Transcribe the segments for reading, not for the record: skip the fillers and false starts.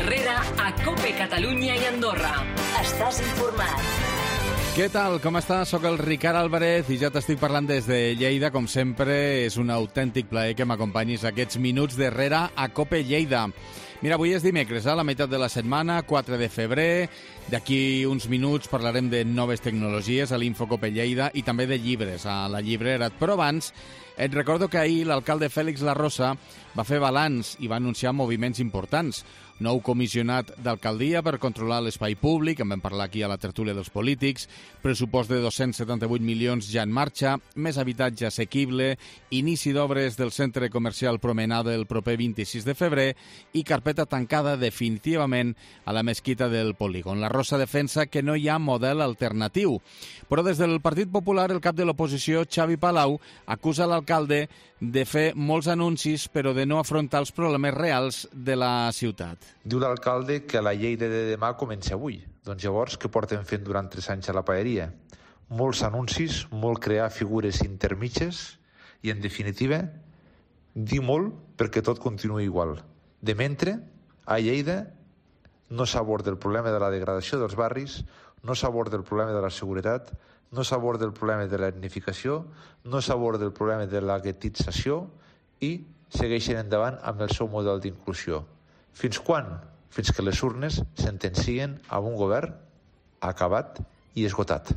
Herrera a COPE Catalunya i Andorra. Estàs informat. Què tal? Com estàs? Soc el Ricard Álvarez i ja t'estic parlant des de Lleida. Com sempre, és un autèntic plaer que m'acompanyis aquests minuts d'Herrera a COPE Lleida. Mira, avui és dimecres, a la meitat de la setmana, 4 de febrer. D'aquí uns minuts parlarem de noves tecnologies a l'Info COPE Lleida i també de llibres a la llibrera. Però abans, et recordo que ahir l'alcalde Félix Larrosa va fer balanç i va anunciar moviments importants. Nou comissionat d'alcaldia per controlar l'espai públic, en vam parlar aquí a la tertúlia dels polítics, pressupost de 278 milions ja en marxa, més habitatge assequible, inici d'obres del centre comercial Promenada el proper 26 de febrer i carpeta tancada definitivament a la mesquita del Polígon. La Rosa defensa que no hi ha model alternatiu. Però des del Partit Popular, el cap de l'oposició, Xavi Palau, acusa l'alcalde de fer molts anuncis però de no afrontar els problemes reals de la ciutat. Diu l'alcalde que la Lleida de demà comença avui. Doncs llavors, què porten fent durant 3 anys a la paeria? Molts anuncis, molt crear figures intermitges i, en definitiva, dir molt perquè tot continuï igual. De mentre, a Lleida no s'aborda el problema de la degradació dels barris, no s'aborda el problema de la seguretat, no s'aborda el problema de l'etnificació, no s'aborda el problema de la guetització i segueixen endavant amb el seu model d'inclusió. Fins quan? Fins que les urnes sentencien a un govern acabat i esgotat.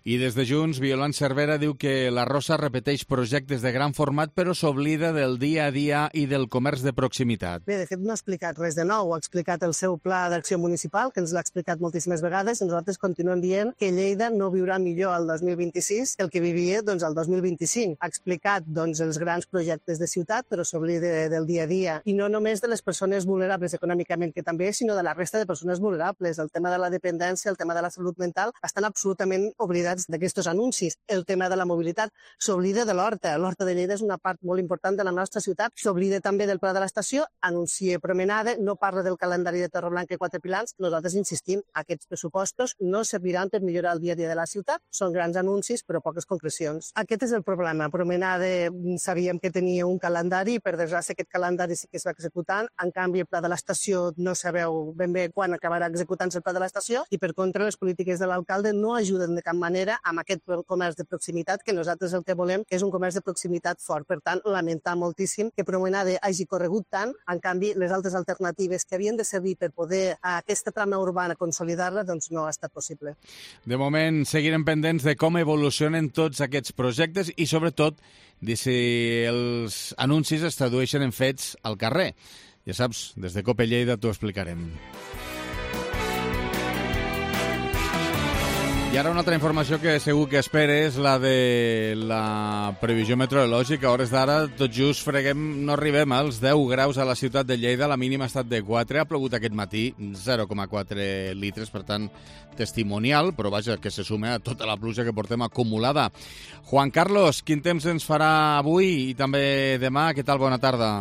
I des de Junts, Violant Cervera diu que la Rosa repeteix projectes de gran format però s'oblida del dia a dia i del comerç de proximitat. Bé, de fet no ha explicat res de nou, ha explicat el seu pla d'acció municipal, que ens l'ha explicat moltíssimes vegades, i nosaltres continuem dient que Lleida no viurà millor el 2026 que el que vivia el 2025. Ha explicat els grans projectes de ciutat, però s'oblida del dia a dia, i no només de les persones vulnerables econòmicament, que també, sinó de la resta de persones vulnerables. El tema de la dependència, el tema de la salut mental, estan absolutament oblidats d'aquests anuncis. El tema de la mobilitat s'oblida de l'Horta. L'Horta de Lleida és una part molt important de la nostra ciutat. S'oblida també del Pla de l'Estació, anuncia Promenada, no parla del calendari de Torreblanca i Quatre Pilans. Nosaltres insistim, aquests pressupostos no serviran per millorar el dia a dia de la ciutat. Són grans anuncis, però poques concrecions. Aquest és el problema. Promenada sabíem que tenia un calendari, per desgràcia aquest calendari sí que es va executant. En canvi, el Pla de l'Estació no sabeu ben bé quan acabarà executant-se el Pla de l'Estació i, per contra, les polítiques de l'alcalde no ajuden de cap manera amb aquest comerç de proximitat, que nosaltres el que volem és un comerç de proximitat fort. Per tant, lamentar moltíssim que Promenada hagi corregut tant, en canvi, les altres alternatives que havien de servir per poder aquesta trama urbana consolidar-la, doncs no ha estat possible. De moment, seguirem pendents de com evolucionen tots aquests projectes i, sobretot, de si els anuncis es tradueixen en fets al carrer. Ja saps, des de COPE Lleida t'ho explicarem. I ara una altra informació que segur que esperes, la de la previsió meteorològica. A hores d'ara, tot just no arribem als 10 graus a la ciutat de Lleida, la mínima ha estat de 4, ha plogut aquest matí 0,4 litres, per tant, testimonial, però vaja, que se sume a tota la pluja que portem acumulada. Juan Carlos, quin temps ens farà avui i també demà? Què tal? Bona tarda.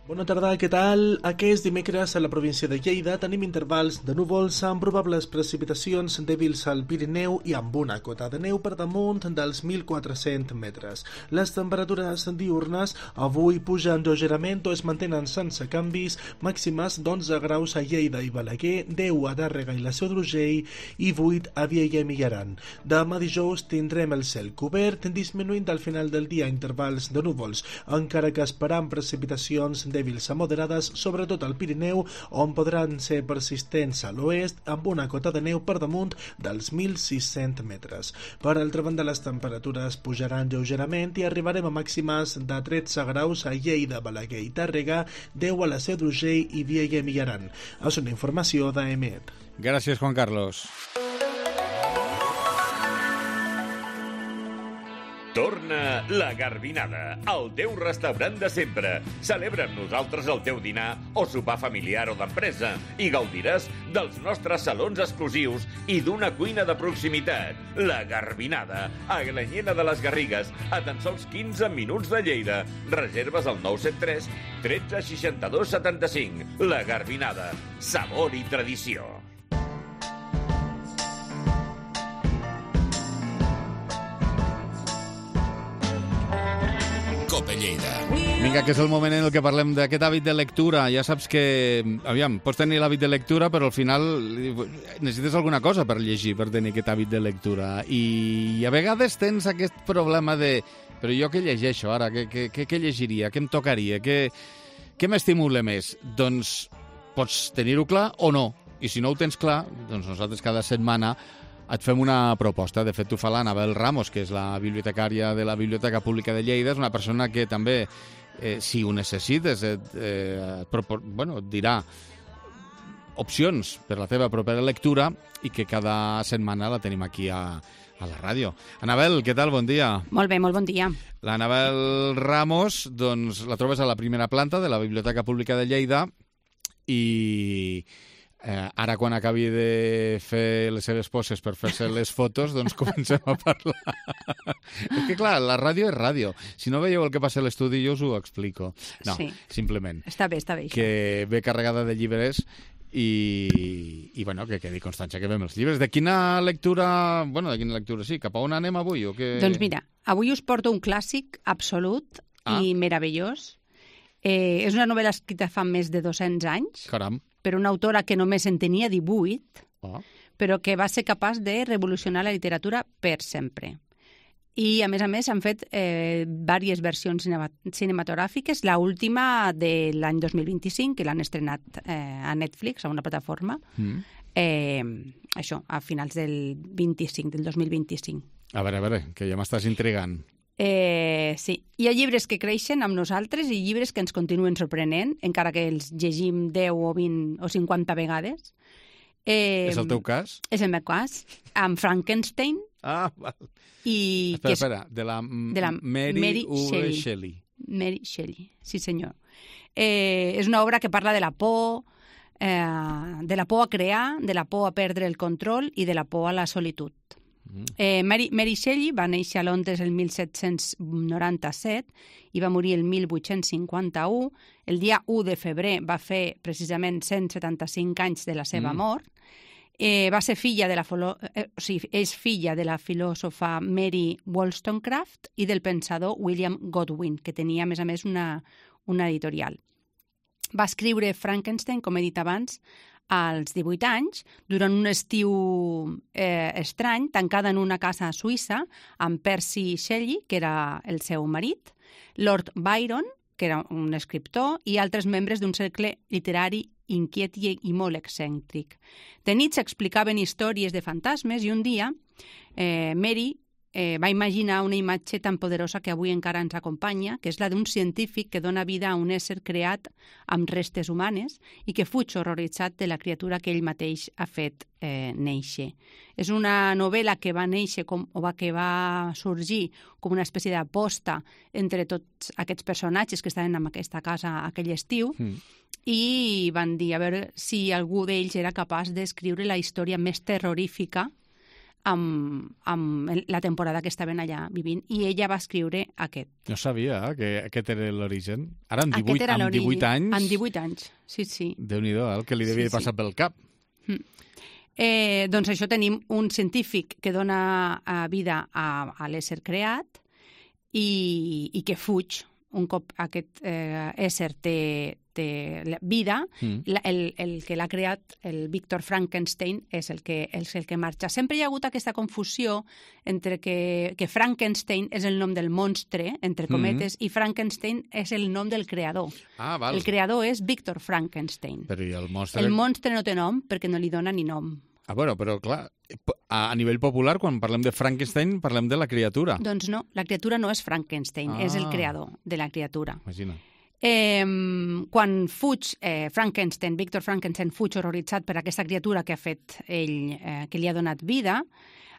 Bona tarda, què tal? Aquest dimecres a la província de Lleida tenim intervals de núvols amb probables precipitacions dèbils al Pirineu i amb una cota de neu per damunt dels 1.400 metres. Les temperatures diurnes avui pugen lleugerament o es mantenen sense canvis, màximes d'11 graus a Lleida i Balaguer, 10 a Tàrrega i la Seu d'Urgell i 8 a Viella i Millaran. Demà dijous tindrem el cel cobert, disminuint al final del dia intervals de núvols, encara que esperam precipitacions dèbils a moderades, sobretot al Pirineu, on podran ser persistents a l'oest, amb una cota de neu per damunt dels 1.600 metres. Per altra banda, les temperatures pujaran lleugerament i arribarem a màximes de 13 graus a Lleida, Balaguer i Tàrrega, 10 a la Seu d'Urgell i Viella i Millaran. És una informació d'EMET. Gràcies, Juan Carlos. Torna La Garbinada, el teu restaurant de sempre. Celebra amb nosaltres el teu dinar o sopar familiar o d'empresa i gaudiràs dels nostres salons exclusius i d'una cuina de proximitat. La Garbinada, a Glanyena de les Garrigues, a tan sols 15 minuts de Lleida. Reserves al 973 13 62 75. La Garbinada, sabor i tradició. COPE Lleida. Vinga, que és el moment en el que parlem d'aquest hàbit de lectura. Ja saps que, aviam, pots tenir l'hàbit de lectura, però al final necessites alguna cosa per llegir, per tenir aquest hàbit de lectura. I a vegades tens aquest problema de... Però jo què llegeixo ara? Què llegiria? Què em tocaria? Què m'estimula més? Doncs pots tenir-ho clar o no. I si no ho tens clar, doncs nosaltres cada setmana et fem una proposta. De fet, ho fa l'Anabel Ramos, que és la bibliotecària de la Biblioteca Pública de Lleida. És una persona que també, si ho necessites, et dirà opcions per la teva propera lectura i que cada setmana la tenim aquí a la ràdio. Anabel, què tal? Bon dia. Molt bé, molt bon dia. L'Anabel Ramos, doncs, la trobes a la primera planta de la Biblioteca Pública de Lleida i... ara, quan acabi de fer les seves poses per fer-se les fotos, doncs comencem a parlar. És que, clar, la ràdio és ràdio. Si no veieu el que passa a l'estudi, jo us ho explico. No, sí. Simplement. Està bé, això. Que ve carregada de llibres i bueno, que quedi constància que veiem els llibres. De quina lectura, sí, cap a on anem avui? O què... Doncs mira, avui us porto un clàssic absolut i meravellós. És una novel·la escrita fa més de 200 anys. Caram. Per una autora que només en tenia 18, però que va ser capaç de revolucionar la literatura per sempre. I, a més, han fet diverses versions cinematogràfiques. La última de l'any 2025, que l'han estrenat a Netflix, a una plataforma, això, a finals del 2025. A veure, que ja m'estàs intrigant. Sí. Hi ha llibres que creixen amb nosaltres i llibres que ens continuen sorprenent, encara que els llegim 10 o 20 o 50 vegades. És el teu cas? És el meu cas, amb Frankenstein. Val. Espera, de la Mary Shelley. Mary Shelley, sí senyor. És una obra que parla de la por a crear, de la por a perdre el control i de la por a la solitud. Mary Shelley va néixer a Londres el 1797 i va morir el 1851. El dia 1 de febrer va fer precisament 175 anys de la seva mort. Va ser és filla de la filòsofa Mary Wollstonecraft i del pensador William Godwin, que tenia, a més, una editorial. Va escriure Frankenstein, com he dit abans, als 18 anys, durant un estiu estrany, tancada en una casa suïssa, amb Percy Shelley, que era el seu marit, Lord Byron, que era un escriptor, i altres membres d'un cercle literari inquiet i molt excèntric. De nit s'explicaven històries de fantasmes i un dia Mary va imaginar una imatge tan poderosa que avui encara ens acompanya, que és la d'un científic que dona vida a un ésser creat amb restes humanes i que fuig horroritzat de la criatura que ell mateix ha fet néixer. És una novel·la que va néixer que va sorgir com una espècie d'aposta entre tots aquests personatges que estaven en aquesta casa aquell estiu i van dir a veure si algú d'ells era capaç d'escriure la història més terrorífica amb la temporada que estaven allà vivint, i ella va escriure aquest. No sabia que aquest era l'origen. Ara, amb 18 anys... Amb 18 anys, sí. Déu-n'hi-do, el que li devia passar pel cap. Doncs això, tenim un científic que dona vida a l'ésser creat i que fuig un cop aquest ésser té vida. El que l'ha creat, el Víctor Frankenstein, és el que marxa. Sempre hi ha hagut aquesta confusió entre que Frankenstein és el nom del monstre, entre cometes, i Frankenstein és el nom del creador. Val. El creador és Víctor Frankenstein. Però i el monstre? El monstre no té nom perquè no li dona ni nom. Bueno, però clar, a nivell popular, quan parlem de Frankenstein, parlem de la criatura. Doncs no, la criatura no és Frankenstein, és el creador de la criatura. Imagina. Quan fuig Víctor Frankenstein fuig horroritzat per aquesta criatura que ha fet ell, que li ha donat vida,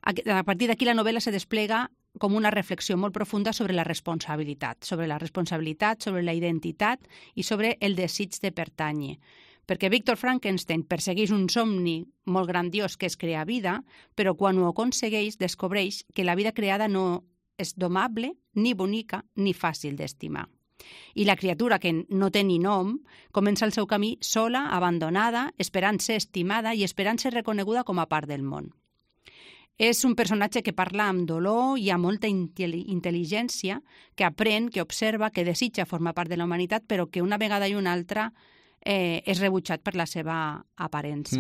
a partir d'aquí la novel·la se desplega com una reflexió molt profunda sobre la responsabilitat, sobre la identitat i sobre el desig de pertànyer. Perquè Víctor Frankenstein persegueix un somni molt grandiós que és crear vida, però quan ho aconsegueix descobreix que la vida creada no és domable, ni bonica, ni fàcil d'estimar. I la criatura, que no té ni nom, comença el seu camí sola, abandonada, esperant ser estimada i esperant ser reconeguda com a part del món. És un personatge que parla amb dolor i amb molta intel·ligència, que aprèn, que observa, que desitja formar part de la humanitat, però que una vegada i una altra és rebutjat per la seva aparença.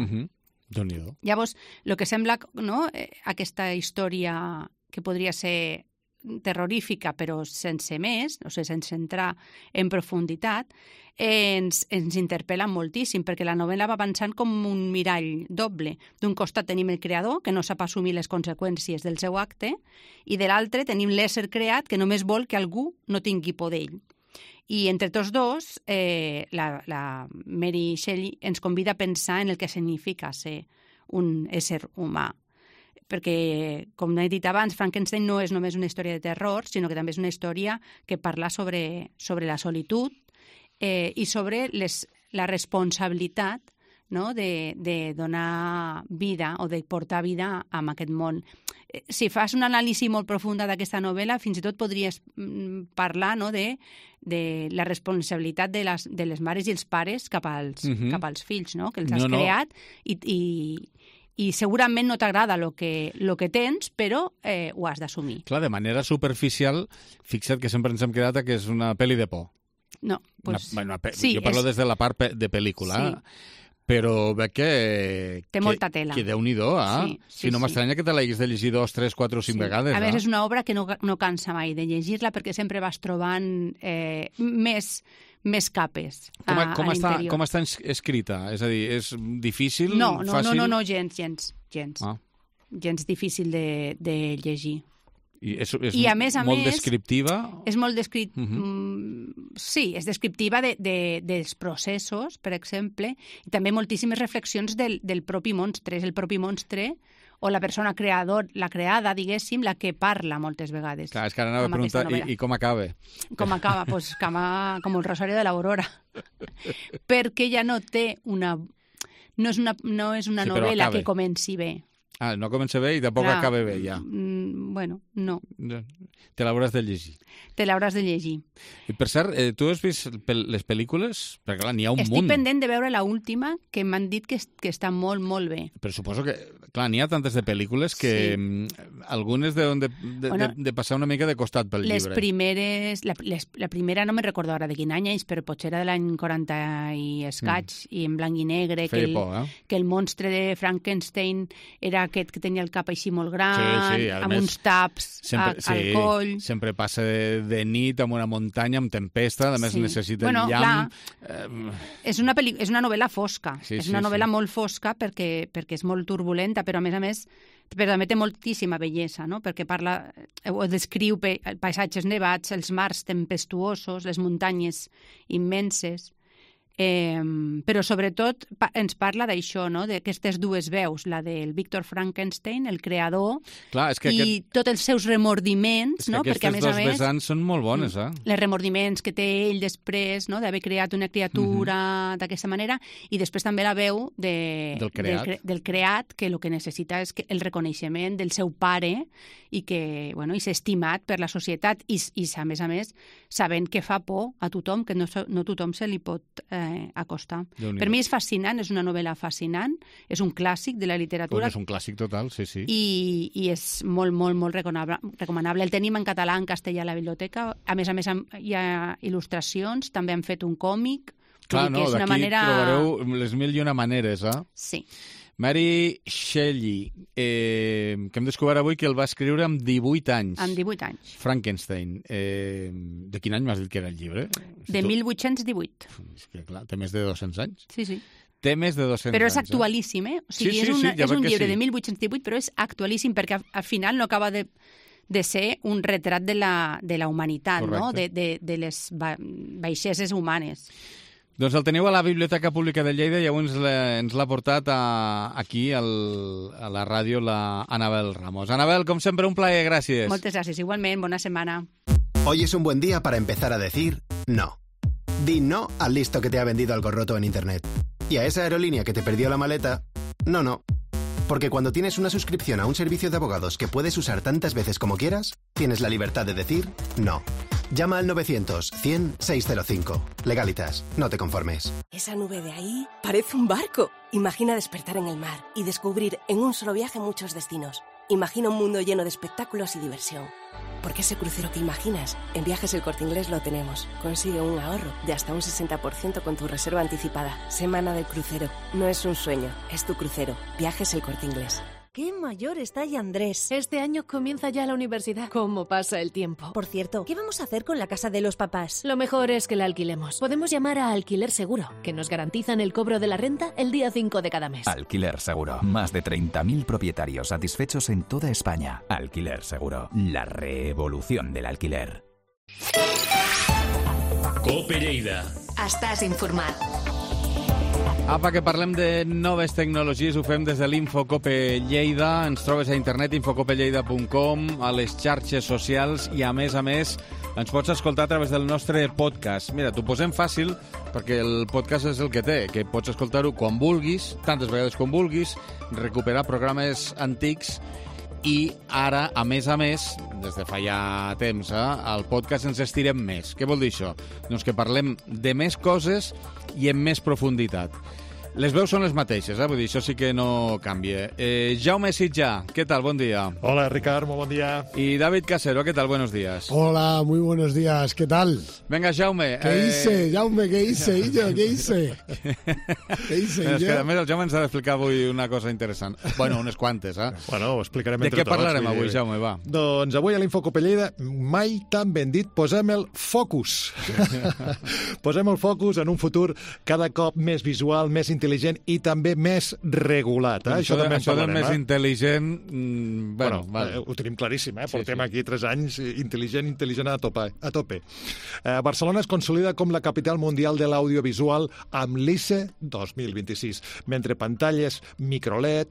Déu-n'hi-do. Llavors, el que sembla, no, aquesta història que podria ser terrorífica, però sense més, o sigui, sense entrar en profunditat, ens interpel·la moltíssim, perquè la novel·la va avançant com un mirall doble. D'un costat tenim el creador, que no sap assumir les conseqüències del seu acte, i de l'altre tenim l'ésser creat, que només vol que algú no tingui por d'ell. I entre tots dos, la Mary Shelley ens convida a pensar en el que significa ser un ésser humà. Perquè, com he dit abans, Frankenstein no és només una història de terror, sinó que també és una història que parla sobre la solitud i sobre la responsabilitat, no?, de donar vida o de portar vida a aquest món. Si fas una anàlisi molt profunda d'aquesta novel·la, fins i tot podries parlar, no?, de la responsabilitat de les mares i els pares cap als fills, no?, que els has creat i segurament no t'agrada el que tens, però ho has d'assumir. Clar, de manera superficial, fixa't que sempre ens hem quedat que és una pel·li de por. No, pues... Jo parlo des de la part de pel·lícula, però veig que... Té molta tela. Que Déu-n'hi-do, Si no m'estranya que te l'haguis de llegir 2, 3, 4 o 5 vegades. A més, és una obra que no cansa mai de llegir-la perquè sempre vas trobant més capes a l'interior. Com està escrita? És a dir, és difícil? Fàcil? No, gens. Gens difícil de llegir. I a més, molt descriptiva? És molt descriptiva. Sí, és descriptiva dels processos, per exemple, i també moltíssimes reflexions del propi monstre. És el propi monstre o la persona la creada, diguéssim, la que parla moltes vegades. Clar, és que ara anava a preguntar, i com acaba? Com acaba? Doncs com el Rosario de l'Aurora. Perquè ja no té una... No és una novel·la que comenci bé. No comença bé i tampoc acaba bé, ja. Bueno, no. Te l'hauràs de llegir. Te l'hauràs de llegir. I per cert, tu has vist les pel·lícules? Perquè clar, n'hi ha un munt. Estic pendent de veure l'última, que m'han dit que està molt, molt bé. Però suposo que, clar, n'hi ha tantes de pel·lícules que algunes deuen de passar una mica de costat pel llibre. Les primeres... La primera no me'n recordo ara de quin any és, però potser era de l'any 40 i escaig, i en blanc i negre, que el monstre de Frankenstein era aquest que tenia el cap així molt gran, amb uns taps al coll. Sempre passa de nit amb una muntanya, amb tempesta, a més necessita el llamp. És una novel·la fosca, és una novel·la molt fosca perquè és molt turbulenta, però a més però també té moltíssima bellesa, no? Perquè descriu paisatges nevats, els mars tempestuosos, les muntanyes immenses. Però sobretot ens parla d'això, no? D'aquestes dues veus, la del Victor Frankenstein, el creador, i tots els seus remordiments, no? Perquè aquestes dos vessants són molt bones, Els remordiments que té ell després, no? D'haver creat una criatura d'aquesta manera, i després també la veu del creat, que el que necessita és el reconeixement del seu pare i que, bueno, i ser estimat per la societat i a més, sabent que fa por a tothom, que no tothom se li pot acostar. Per mi és fascinant, és una novel·la fascinant, és un clàssic de la literatura. És un clàssic total, sí. I és molt, molt, molt recomanable. El tenim en català, en castellà a la biblioteca. A més, hi ha il·lustracions, també han fet un còmic. Clar, no, d'aquí trobareu les mil i una maneres, Sí. Mary Shelley, que hem descobert avui que el va escriure amb 18 anys. Amb 18 anys. Frankenstein. De quin any m'has dit que era el llibre? De 1818. És que, clar, té més de 200 anys. Sí. Té més de 200 anys. Però és actualíssim, O sigui, és un llibre de 1818, però és actualíssim perquè al final no acaba de ser un retrat de la humanitat, no? De les baixeses humanes. Doncs el teniu a la Biblioteca Pública de Lleida i avui ens l'ha portat aquí a la ràdio la Anabel Ramos. Anabel, com sempre, un plaer, gràcies. Moltes gràcies, igualment, bona setmana. Hoy es un buen día para empezar a decir no. Di no al listo que te ha vendido algo roto en Internet. Y a esa aerolínea que te perdió la maleta, no. Porque cuando tienes una suscripción a un servicio de abogados que puedes usar tantas veces como quieras, tienes la libertad de decir no. Llama al 900-100-605. Legalitas, no te conformes. Esa nube de ahí parece un barco. Imagina despertar en el mar y descubrir en un solo viaje muchos destinos. Imagina un mundo lleno de espectáculos y diversión. Porque ese crucero que imaginas, en Viajes El Corte Inglés lo tenemos. Consigue un ahorro de hasta un 60% con tu reserva anticipada. Semana del crucero. No es un sueño, es tu crucero. Viajes El Corte Inglés. ¡Qué mayor está ya Andrés! Este año comienza ya la universidad. ¿Cómo pasa el tiempo? Por cierto, ¿qué vamos a hacer con la casa de los papás? Lo mejor es que la alquilemos. Podemos llamar a Alquiler Seguro, que nos garantizan el cobro de la renta el día 5 de cada mes. Alquiler Seguro. Más de 30.000 propietarios satisfechos en toda España. Alquiler Seguro. La revolución del alquiler. Cope Lleida. Estàs informat. Apa, que parlem de noves tecnologies, ho fem des de l'Infocope Lleida. Ens trobes a internet, infocopelleida.com, a les xarxes socials i, a més, ens pots escoltar a través del nostre podcast. Mira, t'ho posem fàcil perquè el podcast és el que té, que pots escoltar-ho quan vulguis, tantes vegades com vulguis, recuperar programes antics i ara, a més, des de fa ja temps, al podcast ens estirem més. Què vol dir això? Doncs que parlem de més coses i amb més profunditat. Les veus són les mateixes, vull dir, això sí que no canvia. Jaume Sitjà, ¿qué tal? Bon dia. Hola, Ricard, muy buen día. Y David Casero, ¿qué tal? Buenos días. Hola, muy buenos días, ¿qué tal? Venga, Jaume. ¿Qué hice, Jaume? ¿Qué hice, Illo? ¿Qué hice? ¿Qué hice, És que a més el Jaume ens ha d'explicar avui una cosa interessant. Bueno, unes quantes, Bueno, ho explicarem entre tots. De què parlarem tots, avui, Jaume, va? Doncs avui a l'Infocope Lleida mai tan ben dit, posem el focus. Posem el focus en un futur cada cop més visual, més intel·ligent i també més regulat. Això de més intel·ligent... Bueno, ho tenim claríssim, portem aquí 3 anys intel·ligent a tope. Barcelona es consolida com la capital mundial de l'audiovisual amb l'ICE 2026, mentre pantalles microLED,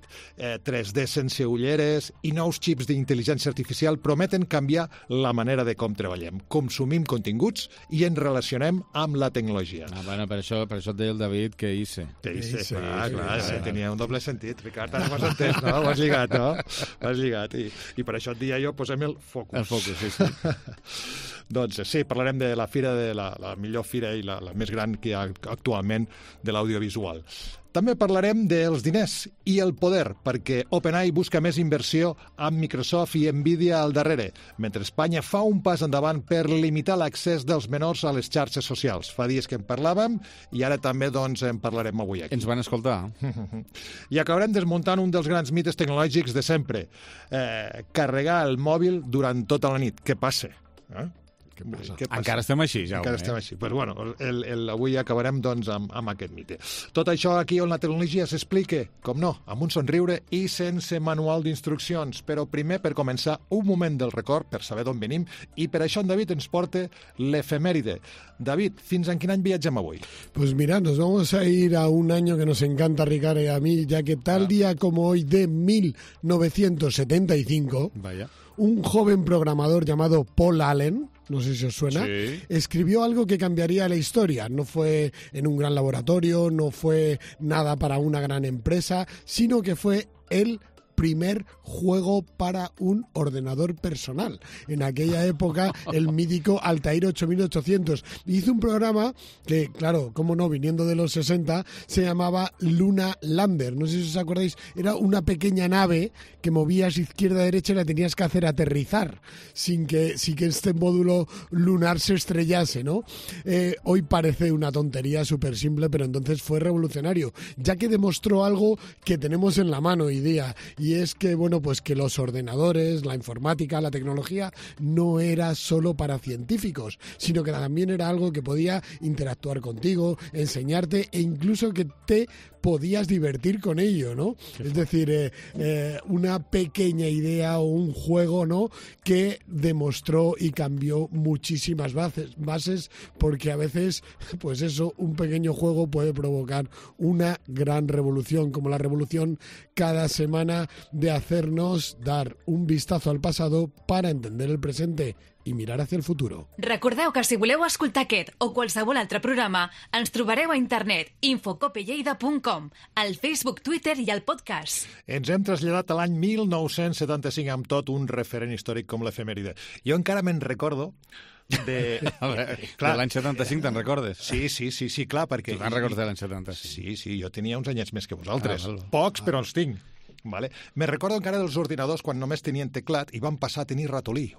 3D sense ulleres i nous xips d'intel·ligència artificial prometen canviar la manera de com treballem, consumim continguts i ens relacionem amb la tecnologia. Bueno, per això et deia el David que ICE. Clar, tenia un doble sentit, Ricard, ara m'has entès, no? Ho has lligat, no? Ho has lligat, i per això et dia jo, posem el focus. El focus, sí. Doncs sí, parlarem de la fira, de la millor fira i la més gran que hi ha actualment de l'audiovisual. També parlarem dels diners i el poder, perquè OpenAI busca més inversió amb Microsoft i Nvidia al darrere, mentre Espanya fa un pas endavant per limitar l'accés dels menors a les xarxes socials. Fa dies que en parlàvem i ara també en parlarem avui aquí. Ens van escoltar. I acabarem desmuntant un dels grans mites tecnològics de sempre. Carregar el mòbil durant tota la nit. Què passa? Què passa? Encara estem així, Jaume. Encara estem així. Pues bueno, avui acabarem amb aquest mite. Tot això aquí on la tecnologia s'explica, com no, amb un somriure i sense manual d'instruccions. Però primer, per començar, un moment del record, per saber d'on venim, i per això en David ens porta l'efemèride. David, fins en quin any viatgem avui? Pues mira, nos vamos a ir a un año que nos encanta, Ricardo, y a mí, ya que tal día como hoy de 1975, un joven programador llamado Paul Allen, no sé si os suena, escribió algo que cambiaría la historia. No fue en un gran laboratorio, no fue nada para una gran empresa, sino que fue el primer juego para un ordenador personal. En aquella época, el mítico Altair 8800. Hizo un programa que, claro, cómo no, viniendo de los 60, se llamaba Luna Lander. No sé si os acordáis, era una pequeña nave que movías izquierda a derecha y la tenías que hacer aterrizar sin que este módulo lunar se estrellase, ¿no? Hoy parece una tontería súper simple, pero entonces fue revolucionario, ya que demostró algo que tenemos en la mano hoy día, y es que, bueno, pues que los ordenadores, la informática, la tecnología no era solo para científicos, sino que también era algo que podía interactuar contigo, enseñarte e incluso que te podías divertir con ello, ¿no? Es decir, una pequeña idea o un juego, ¿no?, que demostró y cambió muchísimas bases, porque a veces, pues eso, un pequeño juego puede provocar una gran revolución, como la revolución cada semana de hacernos dar un vistazo al pasado para entender el presente i mirar hacia el futuro. Recordeu que si voleu escoltar aquest o qualsevol altre programa, ens trobareu a internet infocopelleida.com, al Facebook, Twitter i al podcast. Ens hem traslladat a l'any 1975 amb tot un referent històric com l'efemèride. Jo encara me'n recordo de l'any 75 te'n recordes? Sí, clar, perquè... Tu te'n recordes de l'any 75? Sí, jo tenia uns anyets més que vosaltres. Pocs, però els tinc. Vale? Me recordo encara dels ordinadors quan només tenien teclat i van passar a tenir ratolí.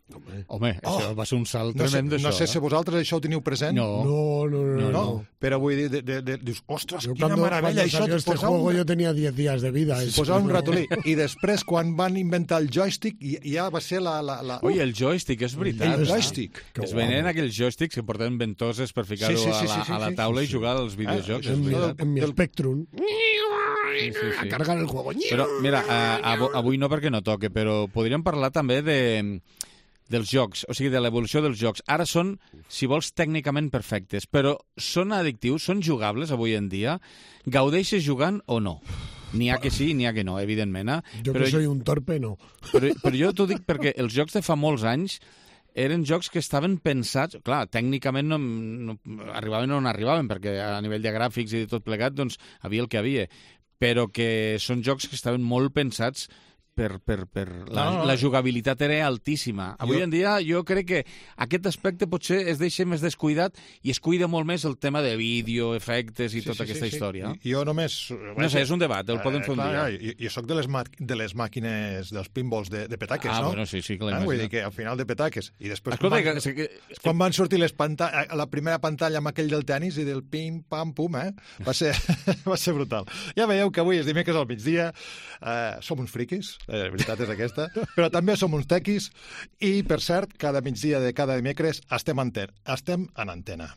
Home, això va ser un salt tremend, no sé si vosaltres això ho teniu present. No. Però vull dir, dius, ostres, quina meravella, això salió este juego yo tenía 10 días de vida. Posar un ratolí. I després, quan van inventar el joystick, ja va ser la... Ui, el joystick, és veritat. El joystick. Es venen aquells joysticks que porten ventoses per ficar-ho a la taula i jugar als videojocs. En mi Spectrum. A cargar el juego. Però, mira, avui no perquè no toque, però podríem parlar també dels jocs, o sigui, de l'evolució dels jocs. Ara són, si vols, tècnicament perfectes, però són addictius, són jugables avui en dia? Gaudeixes jugant o no? N'hi ha que sí, n'hi ha que no, evidentment. Jo que soy un torpe, no. Però jo t'ho dic perquè els jocs de fa molts anys eren jocs que estaven pensats... Clar, tècnicament no arribaven on arribaven, perquè a nivell de gràfics i de tot plegat, doncs, havia el que havia. Però que són jocs que estaven molt pensats la jugabilitat era altíssima. Avui en dia jo crec que aquest aspecte potser es deixa més descuidat i es cuida molt més el tema de vídeo, efectes i tota aquesta història. Jo només... No sé, és un debat, el podem fer un dia. Jo soc de les màquines, dels pinballs de petaques, no? Bueno, sí, que l'imagino. Vull dir que al final de petaques. I després, quan van sortir la primera pantalla amb aquell del tenis i del pim, pam, pum, va ser brutal. Ja veieu que avui és dimecres al migdia, som uns friquis, la veritat és aquesta, però també som uns tequis i, per cert, cada migdia de cada dimecres estem en antena.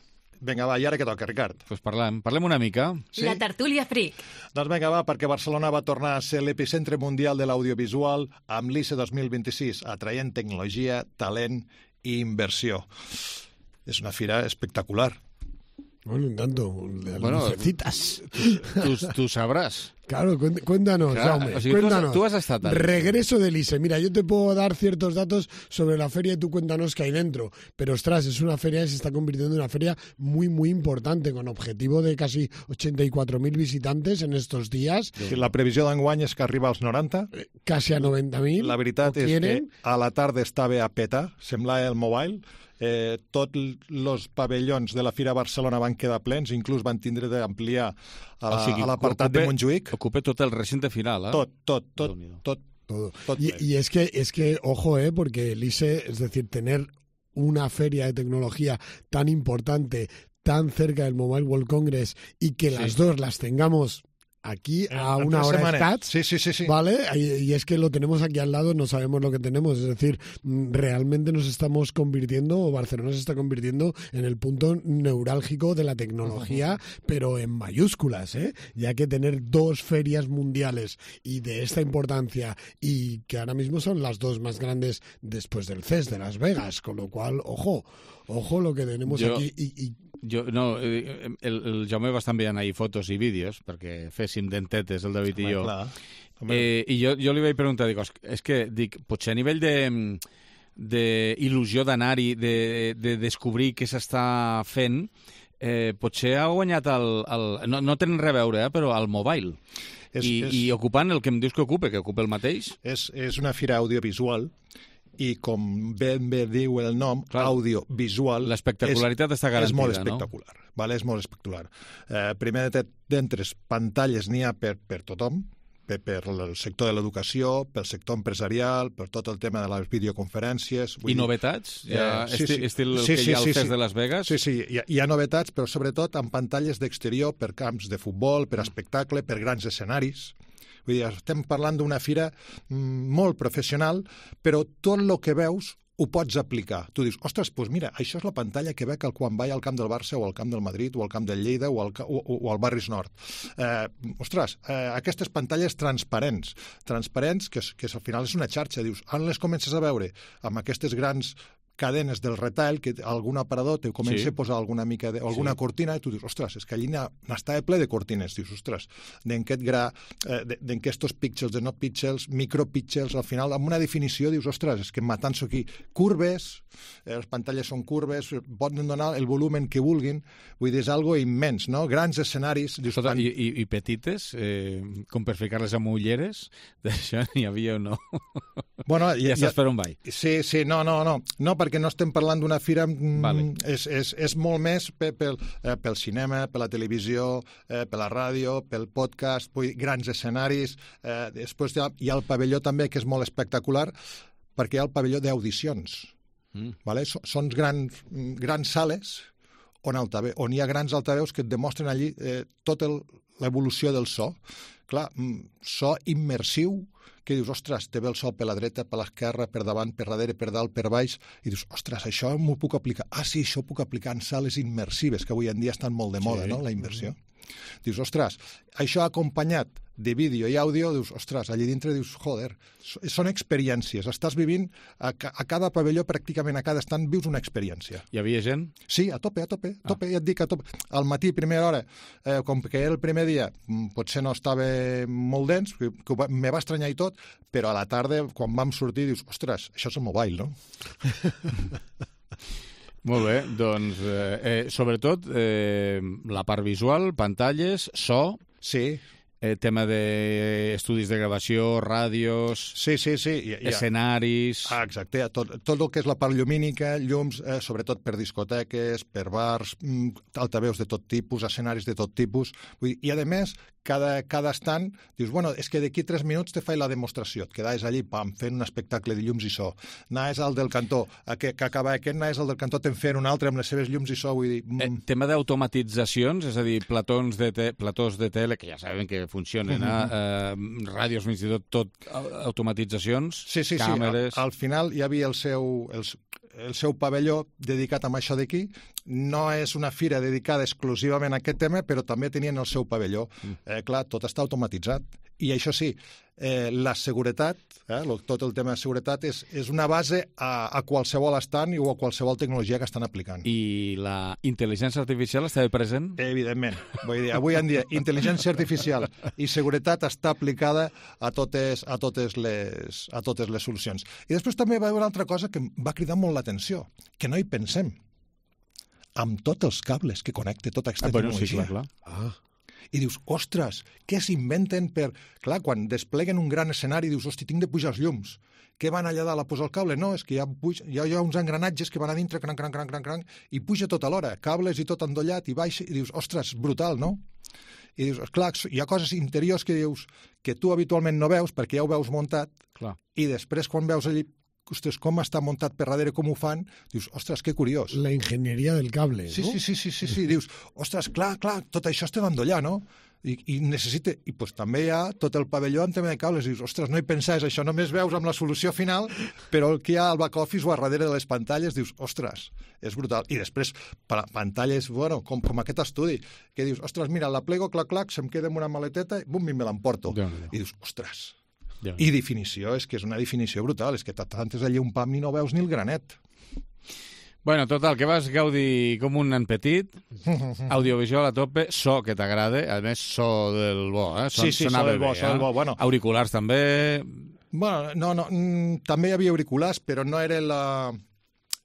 Vinga, va, i ara què toca, Ricard? Doncs parlem una mica. Sí? La tertúlia fric. Doncs vinga, va, perquè Barcelona va tornar a ser l'epicentre mundial de l'audiovisual amb l'ICE 2026, atraient tecnologia, talent i inversió. És una fira espectacular. Bueno, un tanto. Lucecitas. Tú sabrás. Claro, cuéntanos, Jaume, o sea, cuéntanos. Tú has estado tal. Regreso del ICE. Mira, yo te puedo dar ciertos datos sobre la feria y tú cuéntanos qué hay dentro. Pero, ostras, es una feria que se está convirtiendo en una feria muy, muy importante, con objetivo de casi 84.000 visitantes en estos días. La previsió d'enguany és que arriba als 90. Casi a 90.000. La veritat és que a la tarda estava a petar, semblava el Mobile. Tots els pavellons de la Fira Barcelona van quedar plens, inclús van tindre d'ampliar a l'apartat de Montjuïc. Ocupa tot el recinte final, Tot. Y es que, ojo, porque el ICE, es decir, tener una feria de tecnología tan importante, tan cerca del Mobile World Congress, y que las dos las tengamos aquí a una hora estats, sí. ¿vale? Y es que lo tenemos aquí al lado, no sabemos lo que tenemos, es decir, realmente nos estamos convirtiendo, o Barcelona se está convirtiendo en el punto neurálgico de la tecnología, pero en mayúsculas, ya que tener dos ferias mundiales y de esta importancia, y que ahora mismo son las dos más grandes después del CES de Las Vegas, con lo cual, ojo lo que tenemos aquí. El Jaume va estar enviant ahir fotos i vídeos perquè féssim dentetes, el David i jo. I jo li vaig preguntar, és que potser a nivell d'il·lusió d'anar-hi, de descobrir què s'està fent, potser ha guanyat no tenen res a veure, però el mobile. I ocupant el que em dius que ocupa el mateix. És una fira audiovisual i com ben bé diu el nom, audiovisual, l'espectacularitat està garantida, és molt espectacular, no? Vale? És molt espectacular. Primer d'entres pantalles n'hi ha per tothom, per el sector de l'educació, pel sector empresarial, per tot el tema de les videoconferències. I novetats? Estil el que hi ha al CES de Las Vegas? Sí, hi ha novetats, però sobretot amb pantalles d'exterior per camps de futbol, per espectacle, per grans escenaris. Vull dir, estem parlant d'una fira molt professional, però tot el que veus ho pots aplicar. Tu dius, ostres, doncs mira, això és la pantalla que veig quan vaig al camp del Barça o al camp del Madrid o al camp del Lleida o al Barris Nord. Aquestes pantalles transparents que al final és una xarxa. Dius, on les comences a veure? Amb aquestes grans cadenes del retail, que algun aparador te comença a posar alguna mica alguna cortina i tu dius, ostres, és que allí n'estava ple de cortines. Dius, ostres, d'aquest gra, d'aquestos píxels, de no píxels, micropíxels, al final, amb una definició, dius, ostres, és que matant-s'ho aquí. Curves, les pantalles són curves, poden donar el volumen que vulguin, vull dir, és algo immens, no? Grans escenaris. Dius, I petites, com per ficar-les amb ulleres, d'això n'hi havia o no? Bueno, ja saps per on vaig. Sí, no, perquè perquè no estem parlant d'una fira, és molt més pel cinema, per la televisió, per la ràdio, pel podcast, grans escenaris. Després hi ha el pavelló també, que és molt espectacular, perquè hi ha el pavelló d'audicions. Vale? Són grans sales on hi ha grans altaveus que et demostren allí tota l'evolució del so. Clar, so immersiu, que dius, ostres, te ve el so per la dreta, per l'esquerra, per davant, per darrere, per dalt, per baix, i dius, ostres, això m'ho puc aplicar. Ah, sí, això ho puc aplicar en sales immersives, que avui en dia estan molt de moda, no?, la immersió. Dius, ostres, això acompanyat de vídeo i àudio, dius, ostres, allà dintre dius, joder, són experiències. Estàs vivint, a cada pavelló, pràcticament a cada estant, vius una experiència. Hi havia gent? Sí, a tope, ja et dic, a tope. Al matí, primera hora, com que era el primer dia, potser no estava molt dens, que me va estranyar i tot, però a la tarda, quan vam sortir, dius, ostres, això és el mobile, no? Molt bé, doncs, sobretot, la part visual, pantalles, so... Sí. Tema d'estudis de gravació, ràdios... Sí. Escenaris... Exacte, tot el que és la part llumínica, llums, sobretot per discoteques, per bars, altaveus de tot tipus, escenaris de tot tipus... I, a més, cada estant, dius, bueno, és que d'aquí 3 minuts te faig la demostració. Et quedaves allí, pam, fent un espectacle de llums i so. Anaves al del cantó, que acaba aquest, anaves al del cantó, te'n fent un altre amb les seves llums i so. Vull dir... Tema d'automatitzacions, és a dir, platós de tele, que ja sabem que funcionen, ràdios, fins i tot automatitzacions, càmeres... Sí. Al final hi havia el seu pavelló dedicat a això d'aquí. No és una fira dedicada exclusivament a aquest tema, però també tenien el seu pavelló. Clar, tot està automatitzat. I això sí, la seguretat, tot el tema de seguretat, és una base a qualsevol estant o a qualsevol tecnologia que estan aplicant. I la intel·ligència artificial estava present? Evidentment. Vull dir, avui en dia, intel·ligència artificial i seguretat està aplicada a totes les solucions. I després també va haver una altra cosa que em va cridar molt l'atenció, que no hi pensem. Amb tots els cables que connecta tota aquesta tecnologia. Sí, clar. I dius, ostres, què s'inventen per... Clar, quan despleguen un gran escenari, dius, hosti, tinc de pujar els llums. Què van allà dalt a posar el cable? No, és que hi ha uns engranatges que van a dintre, cranc, i puja tot alhora, cables i tot endollat, i baixa, i dius, ostres, brutal, no? I dius, clar, hi ha coses interiors que dius que tu habitualment no veus perquè ja ho veus muntat, i després quan veus allí, ostres, com està muntat per darrere, com ho fan, dius, ostres, que curiós. La enginyeria del cable, sí, no? Sí, dius, ostres, clar, tot això està d'endollar, no? I necessita... I pues, també hi ha tot el pavelló en tema de cables. Dius, ostres, no hi pensaves això, només veus amb la solució final, però el que hi ha al back office o a darrere de les pantalles, dius, ostres, és brutal. I després, pantalles, bueno, com aquest estudi, que dius, ostres, mira, la plego, clac, se'm queda amb una maleteta, bum, i me l'emporto. I dius, ostres... I definició, és que és una definició brutal, és que t'atantes allí un pam i no veus ni el granet. Bueno, total, que vas gaudir com un nen petit, audiovisual a tope, so que t'agrada, a més so del bo, Sí, so del bo, bueno. Auriculars també... Bueno, no, també hi havia auriculars, però no era la...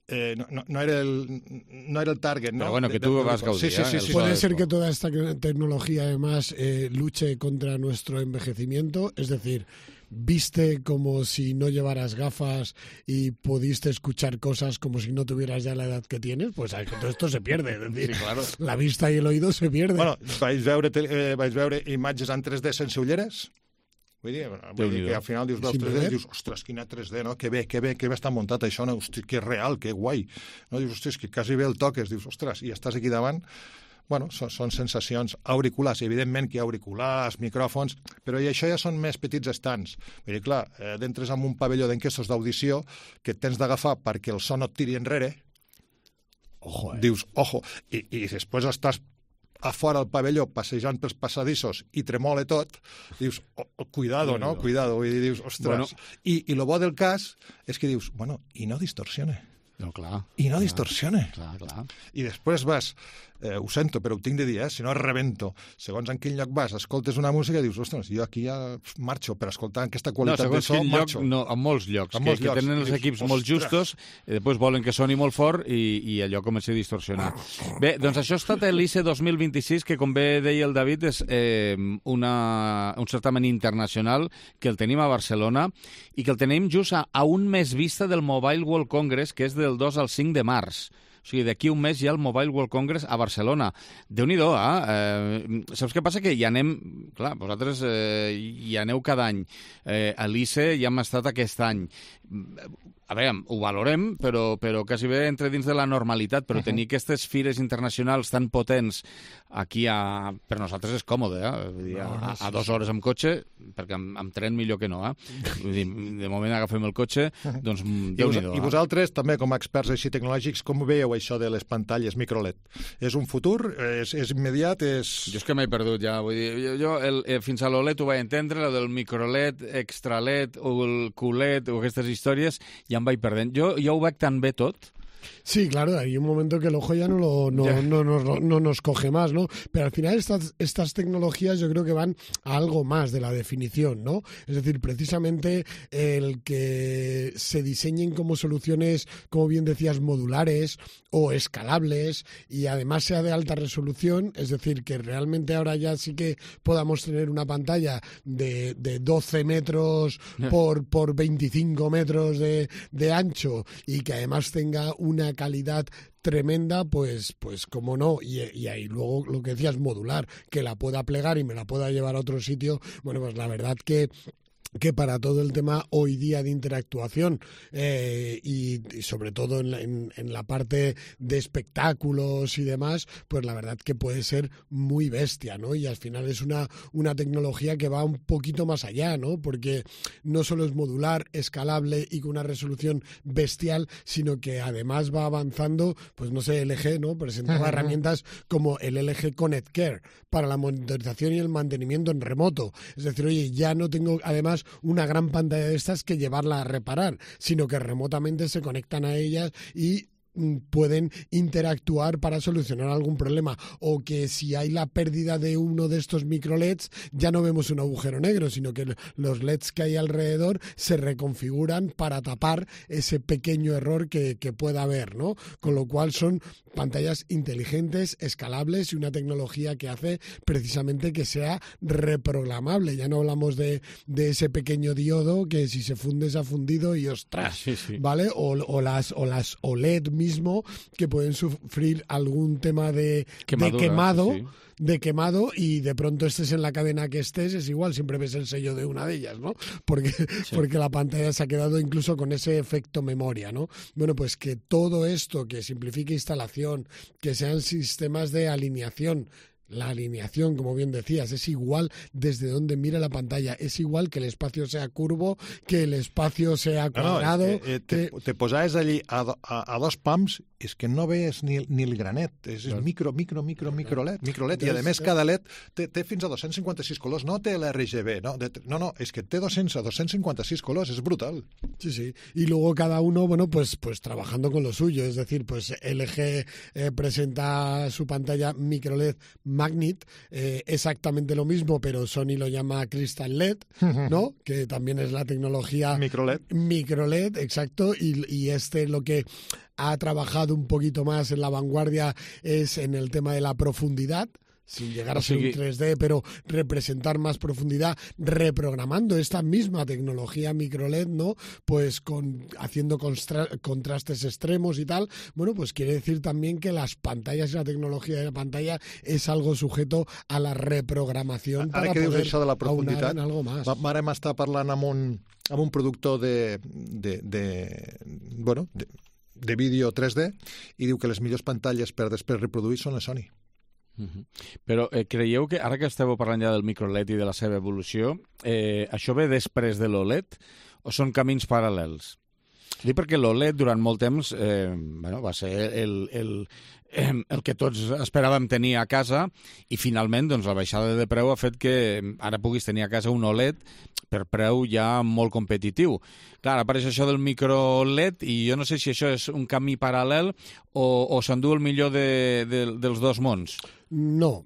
No era el target, ¿no? Pero bueno, que tú vas gaudir. Sí. Puede ser que toda esta tecnología además luche contra nuestro envejecimiento, es decir, viste como si no llevaras gafas y pudiste escuchar cosas como si no tuvieras ya la edad que tienes, pues todo esto se pierde, es decir, sí, claro. La vista y el oído se pierden. Bueno, vaig veure imatges en 3D sense ulleres? Vull dir que al final dius, veus 3D i dius, ostres, quina 3D, no? Que bé està muntat això, no? Hosti, que real, que guai. No? Dius, ostres, que quasi bé el toques, dius, ostres, i estàs aquí davant. Bueno, són sensacions. Auriculars, evidentment que hi ha auriculars, micròfons, però i això ja són més petits estants. Vull dir, clar, d'entres en un pavelló d'enquestos d'audició que tens d'agafar perquè el so no et tiri enrere. Ojo, Dius, ojo. I després estàs a fora del pavelló, passejant pels passadissos i tremola tot, dius, cuidado, no? Cuidado, i dius, ostres. Bueno. I el bo del cas és que dius, bueno, i no distorsiona. No, clar. I no distorsiona. Clar. I després vas ho sento, però ho tinc de dir, si no rebento. Segons en quin lloc vas, escoltes una música i dius, ostres, jo aquí ja marxo per escoltar aquesta qualitat de so, marxo. No, en molts llocs, que tenen els equips molt justos, i després volen que soni molt fort i allò comença a distorsionar. Bé, doncs això ha estat l'ICE 2026, que com bé deia el David, és un certamen internacional que el tenim a Barcelona i que el tenim just a un mes vista del Mobile World Congress, que és del 2 al 5 de març. O sigui, d'aquí un mes hi ha el Mobile World Congress a Barcelona. Déu-n'hi-do, saps què passa? Que hi anem... Clar, vosaltres hi aneu cada any. A l'ICE ja hem estat aquest any. A veure, ho valorem, però quasi bé entre dins de la normalitat, però tenir aquestes fires internacionals tan potents aquí per nosaltres és còmode, Vull dir, a 2 hores amb cotxe, perquè amb tren millor que no, Vull dir, de moment agafem el cotxe, doncs Déu-n'hi-do. I vosaltres, també com a experts així tecnològics, com veieu això de les pantalles microLED? És un futur? És immediat? Jo és que m'he perdut ja, vull dir, jo fins a l'OLED ho vaig entendre, el del microLED, extra LED o el QLED o aquestes històries, ja em vaig perdent. Jo ho veig tan bé tot. Sí, claro, hay un momento que el ojo ya no nos coge más, ¿no? Pero al final estas tecnologías yo creo que van a algo más de la definición, ¿no? Es decir, precisamente el que se diseñen como soluciones, como bien decías, modulares o escalables y además sea de alta resolución, es decir, que realmente ahora ya sí que podamos tener una pantalla de 12 metros por 25 metros de ancho y que además tenga una calidad tremenda, pues como no, y ahí luego lo que decías, modular, que la pueda plegar y me la pueda llevar a otro sitio, bueno, pues la verdad que para todo el tema hoy día de interactuación y sobre todo en la parte de espectáculos y demás, pues la verdad que puede ser muy bestia, ¿no? Y al final es una tecnología que va un poquito más allá, ¿no? Porque no solo es modular, escalable y con una resolución bestial, sino que además va avanzando, pues no sé, LG, ¿no? Presentaba herramientas como el LG Connect Care para la monitorización y el mantenimiento en remoto. Es decir, oye, ya no tengo además una gran pantalla de estas que llevarla a reparar, sino que remotamente se conectan a ellas y pueden interactuar para solucionar algún problema, o que si hay la pérdida de uno de estos micro LEDs ya no vemos un agujero negro, sino que los LEDs que hay alrededor se reconfiguran para tapar ese pequeño error que pueda haber, ¿no? Con lo cual son pantallas inteligentes, escalables y una tecnología que hace precisamente que sea reprogramable. Ya no hablamos de ese pequeño diodo que si se funde se ha fundido y ostras, ¿vale? O las OLED mismo que pueden sufrir algún tema de quemado y de pronto estés en la cadena que estés, es igual, siempre ves el sello de una de ellas, ¿no? Porque la pantalla se ha quedado incluso con ese efecto memoria, ¿no? Bueno, pues que todo esto, que simplifique instalación, que sean sistemas de alineación. La alineación, como bien decías, es igual desde donde mira la pantalla, es igual que el espacio sea curvo, que el espacio sea cuadrado... Te posaves allí a 2 pams i és que no veus ni el granet, és micro LED, i a més cada LED té fins a 256 colors, no té l'RGB, no, és que té 256 colors, es brutal. Sí, y luego cada uno, bueno, pues trabajando con lo suyo, es decir, pues LG presenta su pantalla micro LED Magnet, exactamente lo mismo, pero Sony lo llama Crystal LED, ¿no? Que también es la tecnología micro LED, exacto, y lo que ha trabajado un poquito más en la vanguardia es en el tema de la profundidad, sin llegar a ser un 3D, pero representar más profundidad, reprogramando esta misma tecnología microLED, ¿no? Pues haciendo contrastes extremos y tal. Bueno, pues quiere decir también que las pantallas y la tecnología de la pantalla es algo sujeto a la reprogramación para poder això de la profunditat, en algo más. Ara m'està parlant amb un productor de vídeo 3D i diu que les millors pantalles per després reproduir són les Sony. Però creieu que, ara que esteu parlant ja del microLED i de la seva evolució, això ve després de l'OLED o són camins paral·lels? Dic perquè l'OLED durant molt temps va ser el que tots esperàvem tenir a casa, i finalment doncs, la baixada de preu ha fet que ara puguis tenir a casa un OLED per preu ja molt competitiu. Clar, apareix això del micro LED i jo no sé si això és un camí paral·lel o s'endú el millor dels dos mons. No,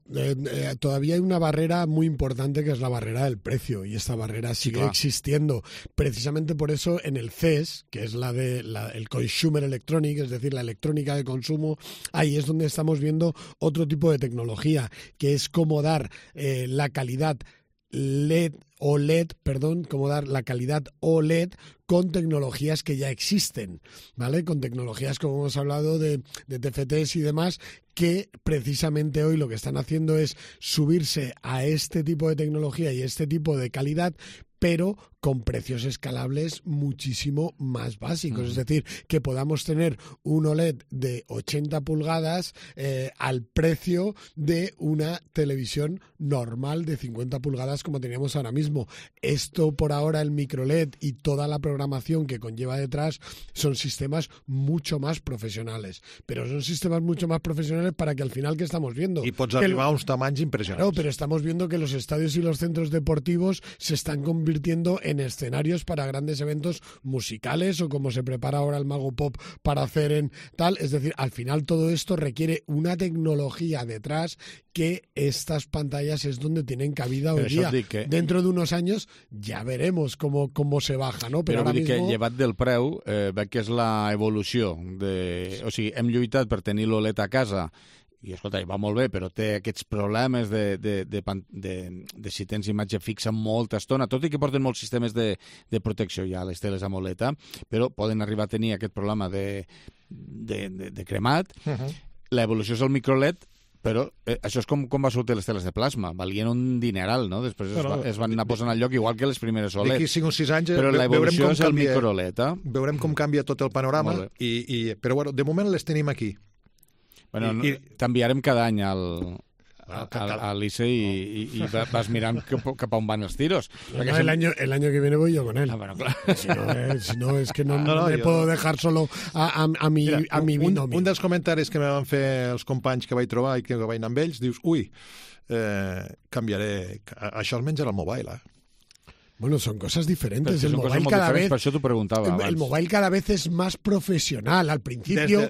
todavía hay una barrera muy importante que es la barrera del precio y esta barrera sigue existiendo. Precisamente por eso en el CES, que es el Consumer Electronic, es decir, la electrónica de consumo, ahí es donde estamos viendo otro tipo de tecnología, que es cómo dar la calidad cómo dar la calidad OLED con tecnologías que ya existen, ¿vale? Con tecnologías, como hemos hablado, de TFTs y demás, que precisamente hoy lo que están haciendo es subirse a este tipo de tecnología y este tipo de calidad, pero con precios escalables muchísimo más básicos. Es decir, que podamos tener un OLED de 80 pulgadas al precio de una televisión normal de 50 pulgadas como teníamos ahora mismo. Esto por ahora, el microLED y toda la programación que conlleva detrás son sistemas mucho más profesionales. Pero son sistemas mucho más profesionales para que al final, ¿qué estamos viendo? Y pots arribar a uns tamanys impressionants. Claro, pero estamos viendo que los estadios y los centros deportivos se están convirtiendo en escenarios para grandes eventos musicales o como se prepara ahora el Mago Pop para hacer en tal. Es decir, al final todo esto requiere una tecnología detrás que estas pantallas es donde tienen cabida hoy día. Dentro de unos años ya veremos cómo se baja, no? Però ara vull dir mismo... que llevat del preu, veig que és l'evolució. O sigui, hem lluitat per tenir l'OLED a casa i, escolta, va molt bé, però té aquests problemes de si tens imatge fixa molta estona, tot i que porten molts sistemes de protecció ja a les teles AMOLED, però poden arribar a tenir aquest problema de cremat. L'evolució és el microLED, però això és com va sortir les teles de plasma, valien un dineral, no? Després es van anar posant al lloc, igual que les primeres OLED. D'aquí 5 o 6 anys però l'evolució és el microLED. Veurem com canvia tot el panorama, però bueno, de moment les tenim aquí. Bueno, t'enviarem cada any a l'ICE y vas mirando cap a on van els tiros. No, el año que viene voy yo con él. Bueno, claro. Si no, es que no me puedo dejar solo a mi binomio. Un dels comentaris que me van fer els companys que vaig trobar i que vaig anar amb ells, dius, canviaré... Això almenys era el mobile, Bueno, son cosas diferentes. El mobile cada vez, por eso tú preguntabas. El mobile cada vez es más profesional. Al principio,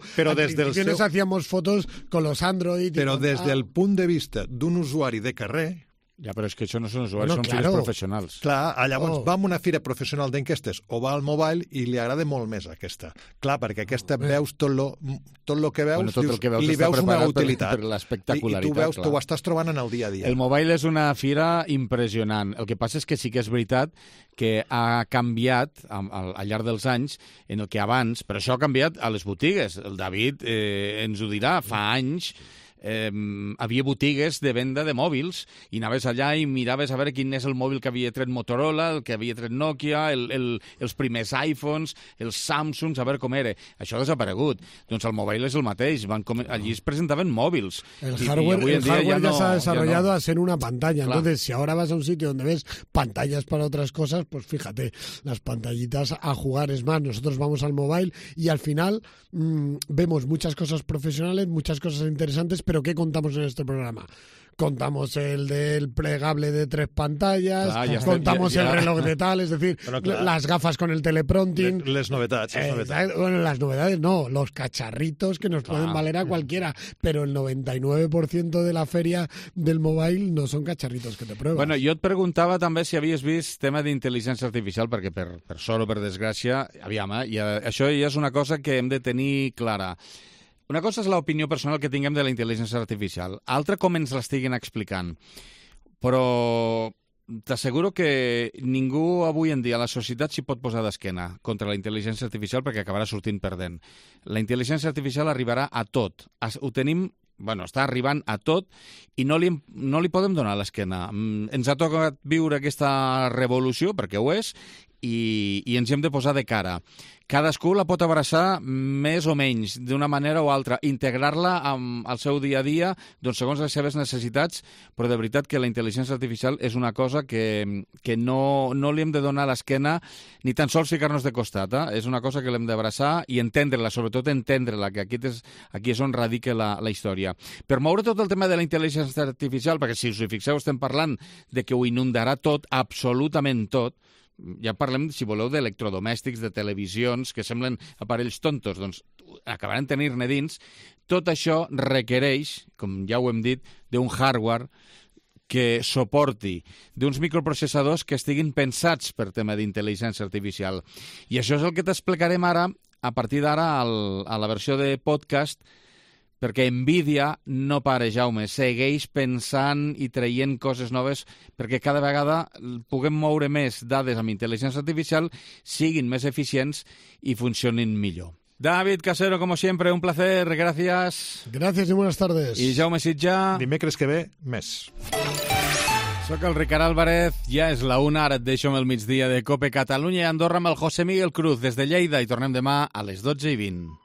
nos hacíamos fotos con los Android. Però des del punt de vista d'un usuari de carrer... Ja, però és que això no són usuaris, són fires professionals. Clar, llavors va a una fira professional d'enquestes o va al mobile i li agrada molt més aquesta. Clar, perquè aquesta veus tot lo que veus, li veus una utilitat. Per l'espectacularitat. I tu veus, t'ho estàs trobant en el dia a dia. El mobile és una fira impressionant. El que passa és que sí que és veritat que ha canviat al llarg dels anys en el que abans, però això ha canviat a les botigues. El David ens ho dirà, fa anys havia botigues de venda de mòbils i anaves allà i miraves a veure quin és el mòbil que havia tret Motorola, el que havia tret Nokia, els primers iPhones, els Samsungs, a veure com era. Això ha desaparegut. Doncs el mobile és el mateix. Allí es presentaven mòbils. El hardware ya se ha desarrollado a ser una pantalla. Claro. Entonces, si ahora vas a un sitio donde ves pantallas para otras cosas, pues fíjate, las pantallitas a jugar. Es más, nosotros vamos al mobile y al final vemos muchas cosas profesionales, muchas cosas interesantes, pero ¿qué contamos en este programa? Contamos el del plegable de 3 pantallas, contamos el reloj de tal, es decir, las gafas con el teleprompting. Les novedades. Bueno, las novedades no, los cacharritos que nos pueden valer a cualquiera, pero el 99% de la feria del mobile no son cacharritos que te pruebas. Bueno, jo et preguntava també si havies vist tema d'intel·ligència artificial, perquè per sort o per desgràcia, aviam, això ja és una cosa que hem de tenir clara. Una cosa és l'opinió personal que tinguem de la intel·ligència artificial, altra com ens l'estiguen explicant. Però t'asseguro que ningú avui en dia a la societat s'hi pot posar d'esquena contra la intel·ligència artificial perquè acabarà sortint perdent. La intel·ligència artificial arribarà a tot. Ho tenim... Bueno, està arribant a tot i no li podem donar l'esquena. Ens ha tocat viure aquesta revolució, perquè ho és, i ens hi hem de posar de cara. Cadascú la pot abraçar més o menys, d'una manera o altra, integrar-la al seu dia a dia, doncs segons les seves necessitats, però de veritat que la intel·ligència artificial és una cosa que no li hem de donar a l'esquena ni tan sols ficar-nos de costat. És una cosa que l'hem d'abraçar i entendre-la, sobretot entendre-la, que aquí és on radica la història. Per moure tot el tema de la intel·ligència artificial, perquè si us hi fixeu estem parlant de que ho inundarà tot, absolutament tot, ja parlem, si voleu, d'electrodomèstics, de televisions, que semblen aparells tontos, doncs acabaran tenir-ne dins. Tot això requereix, com ja ho hem dit, d'un hardware que suporti, d'uns microprocessadors que estiguin pensats per tema d'intel·ligència artificial. I això és el que t'explicarem ara, a partir d'ara, a la versió de podcast, perquè Nvidia no para, Jaume, segueix pensant i traient coses noves perquè cada vegada puguem moure més dades amb intel·ligència artificial, siguin més eficients i funcionin millor. David Casero, como siempre, un placer, gracias. Gracias y buenas tardes. I Jaume Sitjà. Dimecres que ve, més. Soc el Ricard Álvarez, ja és la 1, ara et deixo amb el migdia de COPE Catalunya i Andorra amb el José Miguel Cruz des de Lleida i tornem demà a les 12:20.